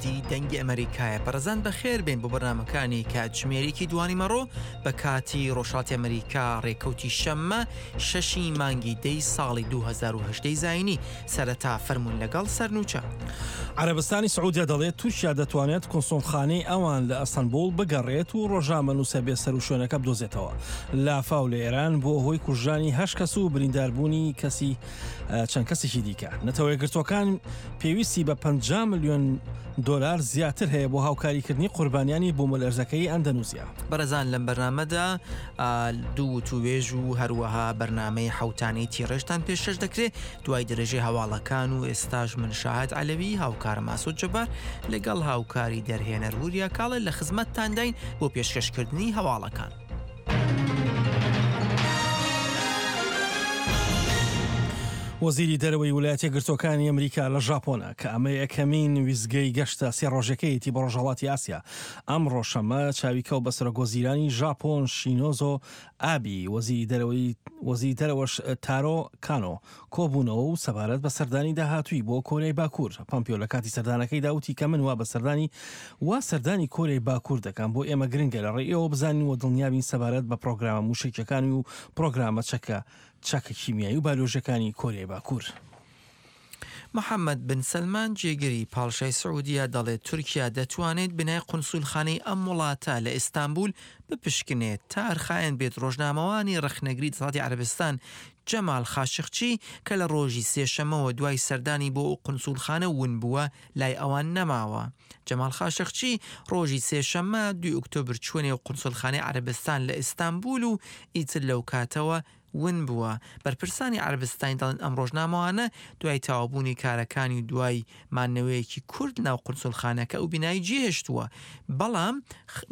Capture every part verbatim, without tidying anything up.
کوردی دەنگی ئەمەریکایە. بەڕێزان بەخێر بێن بۆ بەرنامەکانی کاتژمێرێکی دوانیمەڕۆ بە کاتی ڕۆژهەڵاتی ئەمەریکا ڕێکەوتی شەممە شەشی مانگی دەی ساڵی دوو هەزار و هەژدە زایینی. سەرەتا فەرموون لەگەڵ سەرنوچە. عەرەبستانی سعودیە دەڵێت تورکیا دەتوانێت کونسوڵخانەی ئەوان لە ئەستەنبوڵ بگەڕێت و ڕۆژنامەنووسە بێسەروشوێنەکە بدۆزێتەوە. لافاو لە ئێران بۆ هۆی کوژرانی هەشت کەس و برینداربوونی کەسی چەند کەسێکی دیکە. نەتەوە یەکگرتووەکان پێویستی بە پەنجا ملیۆن دۆلار زیاتر هەیە بۆ هاوکاریکردنی قوربانیانی بوومەلەرزەکەی ئەندەنووسیا. بەڕێزان لەم بەرنامەدا دوو وتوێژ و هەروەها بەرنامەی حوتانەی تیڕێژتان پێشکەش دەکرێت دوای درێژەی هەواڵەکان و ئێستاش من شاهد عەلەوی هاوکارم ئاسۆ جەبار لەگەڵ هاوکاری دەرهێنەر وریا کاڵە لە خزمەتتانداین بۆ پێشکەشکردنی هەواڵەکان. وەزیری دەرەوەی ویلایەتە یەکگرتووەکانی ئەمریکا لە ژاپۆنە کە ئەمە یەکەمین ویزگەی گەشتە سێ ڕۆژەکەیەتی بۆ ڕۆژهەڵاتی ئاسیا. ئەمڕۆ شەممە چاویکەوت بە سەرۆک وەزیرانی ژاپۆن شینۆزۆ ئابی وەزیری دەرەوەی وەزیری دەرەوەش تارۆ کانۆ کۆبوونەوە و سەبارەت بە سەردانی داهاتووی بۆ کۆریای باکوور. پامپیۆ لە کاتی سەردانەکەیدا وتی کە من وا بە سەردانی وا سەردانی کۆریای باکوور دەکەم بۆ ئێمە گرنگە لە ڕێی ئێوە بزانین و دڵنیابین سەبارەت بە پرۆگرامە موشەکیەکانی و پرۆگرامە چەکە چەکە کیمیایی و بایۆلۆژیەکانی کۆریای باکوور. محەممەد بن سەلمان جێگری پاڵشای سعودیە دەڵێت تورکیا دەتوانێت بنای قونسولخانەی ئەم وڵاتە لە ئیستانبول بپشکنێت تا ئەرخایەن بێت ڕۆژنامەوانی ڕەخنەگری دەسەڵاتی عەرەبستان جەمال خاشقچی کە لە ڕۆژی سێشەمەوە دوای سەردانی بۆ ئەو قونسولخانە ون بووە لای ئەوان نەماوە. جەمال خاشقچی ڕۆژی سێشەممە دوی ئۆکتۆبر چووە نێو قونسولخانەی عەرەبستان لە ئیستانبول و ئیتر لەو کاتەوە ون بووە. بەرپرسانی عەرەبستانی دەڵێن ئەم ڕۆژنامەوانە دوای تەواوبوونی کارەکانی و دوای مانەوەیەکی کورد ناو قونسولخانەکە ئەو بینایی جێهێشتووە، بەڵام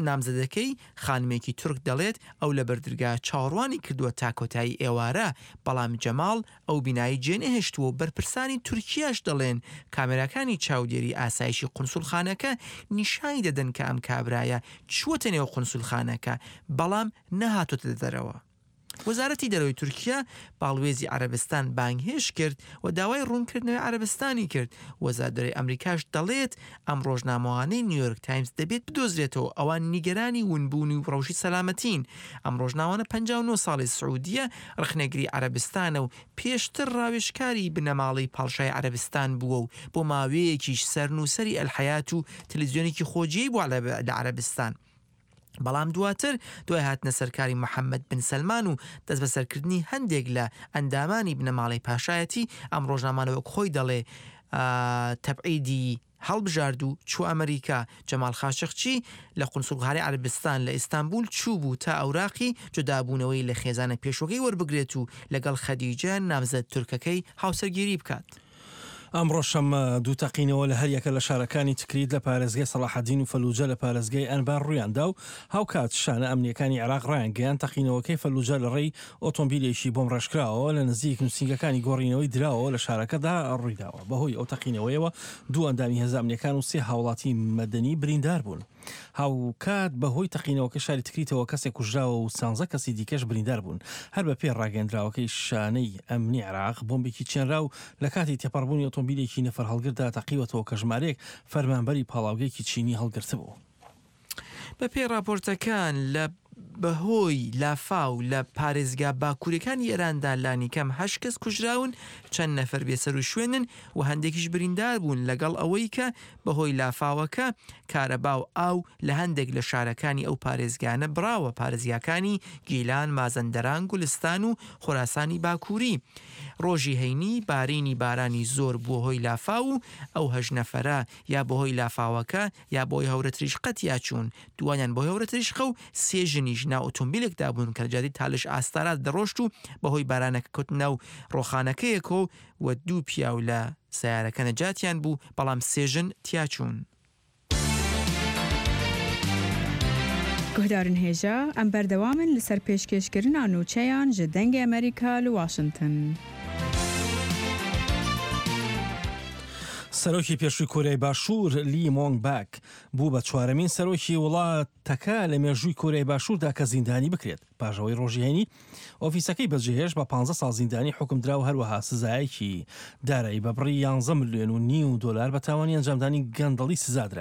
نامزەدەکەی خانمێکی تورک دەڵێت ئەو لە بەردرگا چاوەڕوانی کردووە تا کۆتایی ئێوارە، بەڵام جەماڵ ئەو بینایی جێنەهێشتووە و بەرپرسانی تورکیاش دەڵێن کامێراکانی چاودێری ئاسایشی قونسولخانەکە نیشانی دەدەن کە ئەم کابرایە چووەتە نێو قونسولخانەکە بەڵام نەهاتۆتە دەرەوە. وەزارەتی دەرەوەی تورکیا باڵوێزی عەرەبستان بانگهێشت کرد و داوای ڕوونکردنەوەی عەرەبستانی کرد. وەزارەت دەرەوەی ئەمریکاش دەڵێت ئەم ڕۆژنامەوانەی نیویۆرک تایمز دەبێت بدۆزرێتەوە، ئەوان نیگەرانی ونبوونی و ڕەوشی سەلامەتین. ئەم ڕۆژنامانە پەنجا و نۆ ساڵی سعودیە ڕەخنەگری عەرەبستانە و پێشتر ڕاوێژکاری بنەماڵەی پاڵشای عەرەبستان بووە و بۆ ماوەیەکیش سەرنووسەری ئەلحەیات و تەلەڤیزیۆنێکی خۆجێی بووە لە عەرەبستان. بەڵام دواتر دوای هاتنە سەرکاری محەممەد بن سەلمان و دەست بەسەرکردنی هەندێک لە ئەندامانی بنەماڵەی پاشایەتی ئەم ڕۆژنامانە وەک خۆی دەڵێ تەبعیدی هەڵبژارد و چوو ئەمریکا. جەمال خاشقچی لە قونسوڵخانەی عەرەبستان لە ئیستانبول چوو بوو تا ئەوراقی جودابوونەوەی لە خێزانە پێشوەکەی وەربگرێت و لەگەڵ خەدیجە نامزەد تورکەکەی هاوسەرگیری بکات. ئەمڕۆ شەممە دوو تەقینەوە لە هەریەکە لە شارەکانی تکریت لە پارێزگای سەڵاحەدین و فەلوجە لە پارێزگای ئەنبار ڕوویاندا و هاوکات شانە ئەمنیەکانی عێراق ڕایانگەیاند تەقینەوەکەی فەلوجە لە ڕێی ئۆتۆمبیلێکی بۆم ڕێژکراوە لە نزیک نووسینگەکانی گۆڕینەوەی دراوە لە شارەکەدا ڕوویداوە. بەهۆی ئەو تەقینەوەیەوە دوو ئەندامی هێزە ئەمنیەکان و سێ هاوڵاتی مەدەنی بریندار بوون. هاوکات بەهۆی تەقینەوەکە شاری تکریتەوە کەسێک کوژراوە و سانزە کەسی دیکەش بریندار بوون. هەر بە پێ ڕاگەندراوەکەی شانەی ئەمنی عێراق بۆمبێکی چێنراو لە کاتی تێپەڕبوونی ئۆتۆمبیلێکی نەفەر هەڵگردا تەقیوەتەوە کە ژمارەیەک فەرمانبەری پاڵاوگەیەکی چینی هەڵگرتبوو. بە پێی راپۆرتەکان لە بەهۆی لافاو لە پارێزگا باکوورەکانی ئێراندا لانیکەم هەشت کەس کوژراون، چەند نەفەر بێسەر و شوێنن و هەندێکیش بریندار بوون، لەگەڵ ئەوەی کە بەهۆی لافاوەکە کارەبا و ئاو لە هەندێک لە شارەکانی ئەو پارێزگانە بڕاوە، پارێزگاکانی گیلان، مازەندەران، گولستان و خۆراسانی باکووری. ڕۆژی هەینی بارینی بارانی زۆر بووە هۆی لافاو و ئەو هەشت نەفەرە یا بەهۆی لافاوەکە یا بۆی هەورەتریشقە تیاچوون، دوانیان بۆ هەورەتریشقە و سێ ژنیش ناو ئۆتۆمبیلێکدا بوون کە لە جادەی تالش ئاستارات دەڕۆشت و بەهۆی بارانەکە کەوتن ناو ڕۆخانەکەیەکەوە و دوو پیاو لە سیارەکە نەجاتیان بوو، بەڵام سێ ژن تیاچوون. گوهدارن هێژا ئەم بەردەوامن لەسەر پێشکێشکردنا نوچەیان ji دەنگê ئەمریکا li واشنگتن. سەرۆکی پێشووی کۆریای باشوور لی مۆنگ باک بوو بە چوارەمین سەرۆکی وڵاتەکە لە مێژووی کۆریای باشووردا کە زیندانی بکرێت. پاش ئەوەی ڕۆژی هەینی ئۆفیسەکەی بەجێهێشت بە پانزە ساڵ زیندانی حکومدرا و هەروەها سزایەکی دارایی بە بڕی یانزە ملیۆن و نیو دۆلار بە تاوانی ئەنجامدانی گەندەڵی سزادرا.